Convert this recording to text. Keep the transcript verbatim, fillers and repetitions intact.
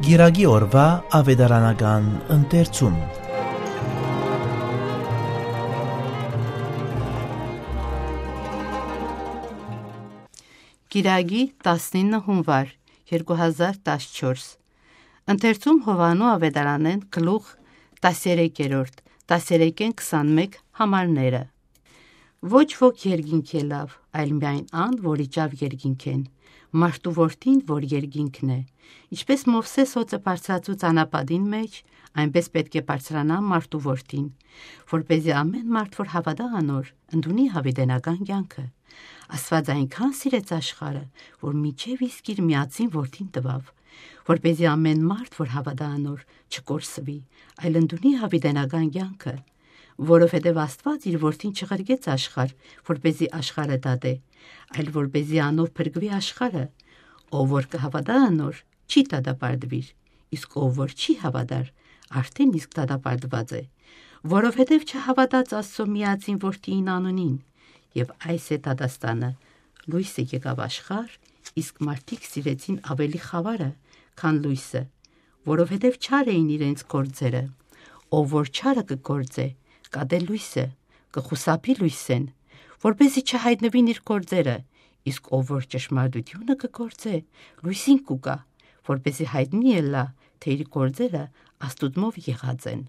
Կիրակի օրուայ աւետարանական ընթերցում։ Կիրակի, տասնինը հունուար, երկու հազար տասնչորս։ Ընթերցում Յովհաննէ աւետարանէն, գլուխ տասներկերորդ, տասներկէն քսանմէկ համարները։ Ոչ ոք երկինք ելաւ, այլ միայն ան, որ իջաւ երկինքէն, մարդու որդին, որ երկինքն է։ Ինչպէս Մովսէս հօծը բարձրացուց անապատին մէջ, այնպէս պէտք է բարձրանայ մարդու որդին, որպեսզի ամէն մարդ, որ հաւատայ անոր, ընդունի յաւիտենական կեանքը։ Աստուած այնքան սիրեց աշխարհը, որ մինչեւ իսկ իր միածին որդին տուաւ, որպեսզի ամէն մարդ, որ հաւատայ անոր, չկորսուի, այլ ընդունի յաւիտենական կեանքը։ Որովհետեւ Աստուած իր որդին չղրկեց աշխարհ, որպեսզի աշխարհը դատէ, այլ որպեսզի անով փրկուի աշխարհը։ Ով որ կը հաւատայ անոր, չի դատապարտուիր, իսկ ով որ չի հաւատար, արդէն իսկ դատապարտուած է, որովհետեւ չհաւատաց Աստուծոյ միածին որդիին անունին։ Եւ այս է դատաստանը. լոյսը եկաւ աշխարհ, իսկ մարդիկ սիրեցին աւելի խաւարը, քան լոյսը, որովհետեւ չար էին իրենց գործերը։ Ով որ չարը կը գործէ, կատէ լոյսը, կը խուսափի լոյսէն, որպեսզի չյայտնուին իր գործերը, իսկ ով որ ճշմարտութիւնը կը գործէ, լոյսին կու գայ, որպեսզի յայտնի ըլլայ, թէ իր գործերը Աստուծմով եղած են։